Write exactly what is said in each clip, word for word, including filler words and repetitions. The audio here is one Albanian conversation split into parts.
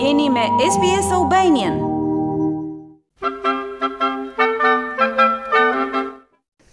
Jeni me S B S Albanian.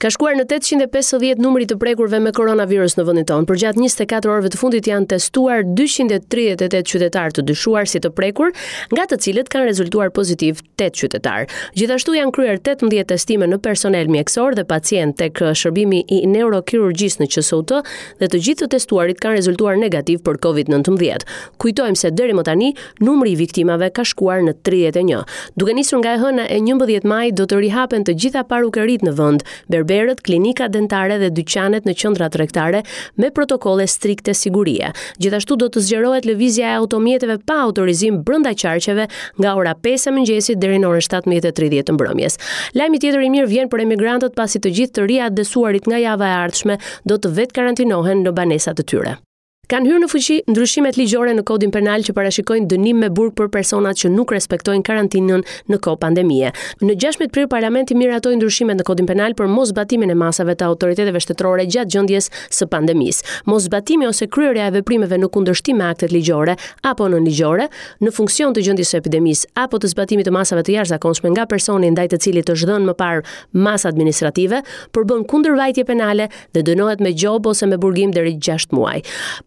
Ka shkuar në tetëqind e pesëdhjetë numri të prekurve me koronavirus në vendin tonë. Përgjatë njëzet e katër orëve të fundit janë testuar dyqind e tridhjetë e tetë qytetarë të dyshuar si të prekur, nga të cilët kanë rezultuar pozitiv tetë qytetarë. Gjithashtu janë kryer tetëmbëdhjetë testime në personel mjekësor dhe pacient tek shërbimi i neurokirurgjisë në Q S U T dhe të gjithë të testuarit kanë rezultuar negativ për Covid nëntëmbëdhjetë. Kujtojmë se deri më tani numri i viktimave ka shkuar në tridhjetë e një. Duke nisur nga e hëna e njëmbëdhjetë maj do të rihapen të gjitha parukeritë në vend, berberët, klinikat dentare dhe dyqanet në qendra tregtare me protokolle strikte sigurie. Gjithashtu do të zgjerohet lëvizja e automjeteve pa autorizim brenda qarqeve nga ora pesë e mëngjesit deri në orën shtatëmbëdhjetë e tridhjetë të mbrëmjes. Lajmi tjetër i mirë vjen për emigrantët, pasi të gjithë të riatdhesuarit nga java e ardhshme do të vetë karantinohen në banesat e tyre. Kanë hyrë në fuqi ndryshimet ligjore në kodin penal që parashikojnë dënim me burg për personat që nuk respektojnë karantinën në kohë pandemie. Në gjashtëmbëdhjetë prill parlamenti miratoi ndryshimet në kodin penal për moszbatimin e masave të autoriteteve shtetërore gjatë gjendjes së pandemisë. Moszbatimi ose kryerja e veprimeve në kundërshtim me aktet ligjore apo nënligjore në funksion të gjendjes së epidemisë apo të zbatimit të masave të jashtëzakonshme nga personi ndaj të cilit është dhënë më parë masë administrative, përbën kundërvajtje penale dhe dënohet me gjobë ose me burgim deri gjashtë muaj.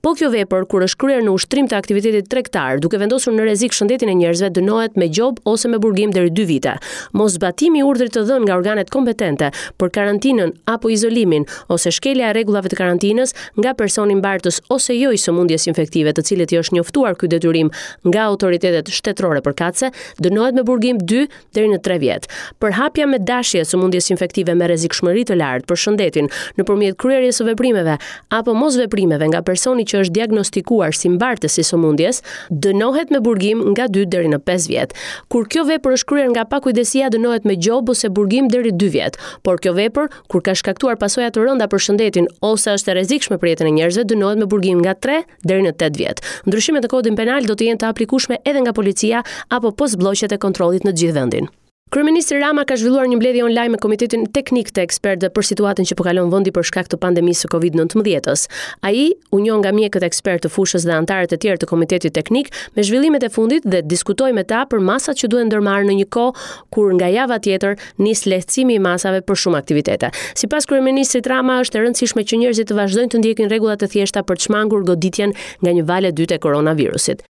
Po kjo vepër, kur është kryer në ushtrim të aktivitetit tregtar, duke vendosur në rrezik shëndetin e njerëzve, dënohet me gjobë ose me burgim deri dy vite. Moszbatimi i urdhrit të dhënë nga organet kompetente për karantinën apo izolimin ose shkelja e rregullave të karantinës nga personi mbartës ose jo i sëmundjes infektive, të cilit i është njoftuar ky detyrim nga autoritetet shtetërore përkatëse, dënohet me burgim dy deri në tre vjet. Përhapja me dashje e sëmundjes infektive me rrezikshmëri të lartë për shëndetin nëpërmjet kryerjes së veprimeve apo mosveprimeve nga personi që është diagnostikuar si mbartës i sëmundjes, dënohet me burgim nga dy deri në pesë vjet. Kur kjo vepër është kryer nga pakujdesia, dënohet me gjobë ose burgim deri dy vjet. Por kjo vepër, kur ka shkaktuar pasoja të rënda për shëndetin ose është e rrezikshme për jetën e njerëzve, dënohet me burgim nga tre deri në tetë vjet. Ndryshimet në kodin penal do të jenë të aplikueshme edhe nga policia apo postblloqet e kontrollit në të gjithë vendin. Kryeministri Rama ka zhvilluar një mbledhje online me Komitetin Teknik të Ekspertëve për situatën që po kalon vendi për shkak të pandemisë së Covid nëntëmbëdhjetë-s. Ai u njoh nga mjekët ekspertë të fushës dhe anëtarët e tjerë të Komitetit Teknik me zhvillimet e fundit dhe diskutoi me ta për masat që duhen ndërmarrë në një kohë kur nga java tjetër nis lehtësimi i masave për shumë aktivitete. Sipas kryeministrit Rama, është e rëndësishme që njerëzit të vazhdojnë të ndjekin rregullat e thjeshta për të shmangur goditjen nga një valë e dytë e koronavirusit.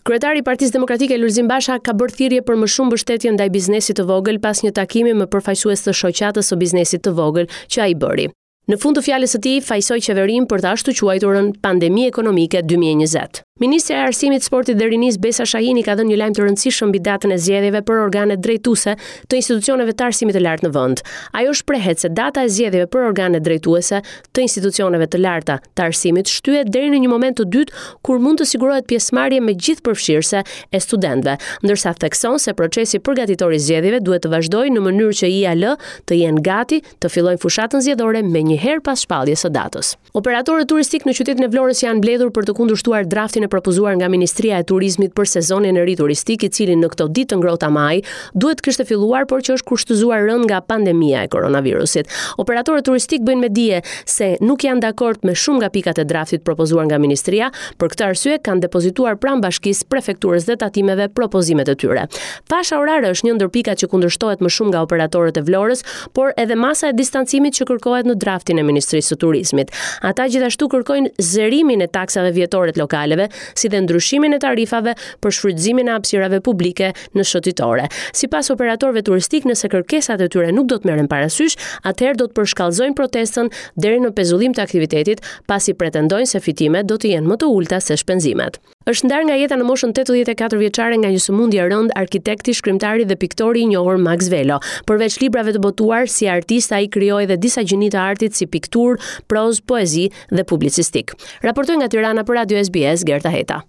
Kryetari i Partisë Demokratike Lulzim Basha ka bërë thirrje për më shumë mbështetje ndaj biznesit të vogël pas një takimi me përfaqësues të shoqatës së biznesit të vogël që ai bëri. Në fund të fjalës së tij, fajsoi qeverinë për të ashtu quajturën pandemi ekonomike dy mijë e njëzet. Ministrja e Arsimit, Sportit dhe Rinisë Besa Shahini ka dhënë një lajm të rëndësishëm mbi datën e zgjedhjeve për organet drejtuese të institucioneve të arsimit të lartë në vend. Ajo shprehet se data e zgjedhjeve për organet drejtuese të institucioneve të larta të arsimit shtyhet deri në një moment të dytë, kur mund të sigurohet pjesëmarrje me gjithë përfshirëse e studentëve, ndërsa thekson se procesi përgatitor i zgjedhjeve duhet të vazhdojë në mënyrë që I A L të jenë gati të fillojnë fushatën zgjedhore me një herë pas shpalljes së datës. Operatorët turistik në qytetin e Vlorës janë mbledhur për të kundërshtuar draftin e propozuar nga Ministria e Turizmit për sezonin e ri turistik, i cili në këto ditë të ngrohta maj duhet të kishte filluar, por që është kushtëzuar rënd nga pandemia e koronavirusit. Operatorët turistik bëjnë me dije se nuk janë dakord me shumë nga pikat e draftit propozuar nga ministria, për këtë arsye kanë depozituar pranë bashkisë, prefekturës dhe tatimeve propozimet e tyre. Fasha orare është një ndër pikat që kundërshtohet më shumë nga operatorët e Vlorës, por edhe masa e distancimit që kërkohet në draftin e Ministrisë së Turizmit. Ata gjithashtu kërkojnë zerimin e taksave vjetore të lokaleve, si dhe ndryshimin e tarifave për shfrytëzimin e hapësirave publike në shëtitore. Sipas operatorëve turistik, nëse kërkesat e tyre nuk do të merren parasysh, atëherë do të përshkallëzojnë protestën deri në pezullim të aktivitetit, pasi pretendojnë se fitimet do të jenë më të ulta se shpenzimet. Është ndarë nga jeta në moshën tetëdhjetë e katër vjeçare nga një sëmundje e rëndë arkitekti, shkrimtari dhe piktori i njohur Max Velo. Përveç librave të botuar, si artist ai krijoi edhe disa gjini të artit si pikturë, prozë, poezi dhe publicistik. Raportoi nga Tirana për Radio S B S Gerta Heta.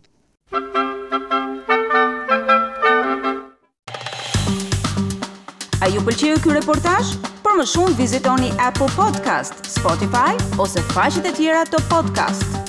A ju pëlqeu ky reportazh? Për më shumë vizitoni Apple Podcast, Spotify ose faqet e tjera të podcast.